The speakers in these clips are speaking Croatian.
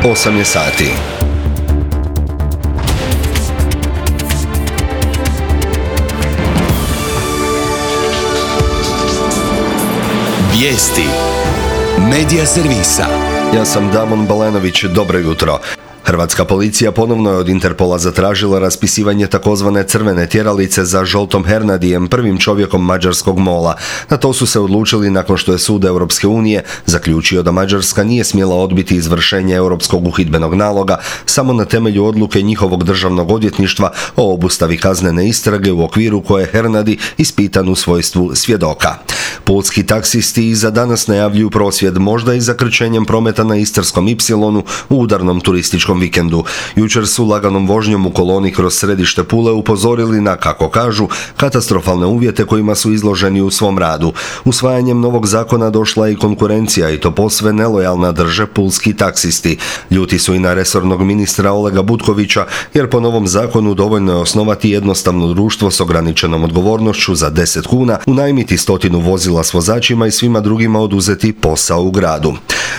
8 je sati. Vijesti Medija servisa. Ja sam Damon Balenović, dobro jutro. Hrvatska policija ponovno je od Interpola zatražila raspisivanje takozvane crvene tjeralice za Zsoltom Hernadijem, prvim čovjekom mađarskog MOL-a. Na to su se odlučili nakon što je sud Europske unije zaključio da Mađarska nije smjela odbiti izvršenje europskog uhidbenog naloga samo na temelju odluke njihovog državnog odvjetništva o obustavi kaznene istrage u okviru koje je Hernadi ispitan u svojstvu svjedoka. Pulski taksisti i za danas najavljuju prosvjed, možda i zakrčenjem prometa na Istarskom Ipsilonu u udarnom turističkom vikendu. Jučer su laganom vožnjom u koloni kroz središte Pule upozorili na, kako kažu, katastrofalne uvjete kojima su izloženi u svom radu. Usvajanjem novog zakona došla je i konkurencija, i to posve nelojalna, drže pulski taksisti. Ljuti su i na resornog ministra Olega Butkovića, jer po novom zakonu dovoljno je osnovati jednostavno društvo s ograničenom odgovornošću za 10 kuna, unajmiti 100 vozila s vozačima i svima drugima oduzeti posao u gradu.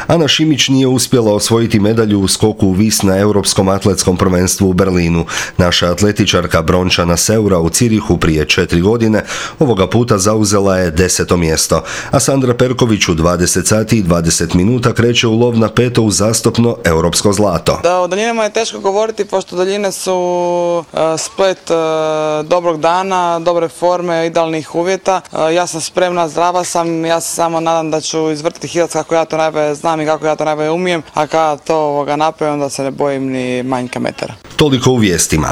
Ana Šimić nije uspjela osvojiti medalju u skoku u vis na Europskom atletskom prvenstvu u Berlinu. Naša atletičarka Brončana Seura u Cirihu prije 4 godine ovoga puta zauzela je 10. mjesto, a Sandra Perković u 20 sati i 20 minuta kreće u lov na 5. uzastopno europsko zlato. Da, o daljinama je teško govoriti, pošto daljine su splet dobrog dana, dobre forme, idealnih uvjeta. Ja sam spremna, zdrava sam, ja se samo nadam da ću izvrtiti hilac kako ja to najbolje znam i kako ja to najbolje umijem, a kada to napravim, onda se ne bojim ni manjka metara. Toliko u vijestima.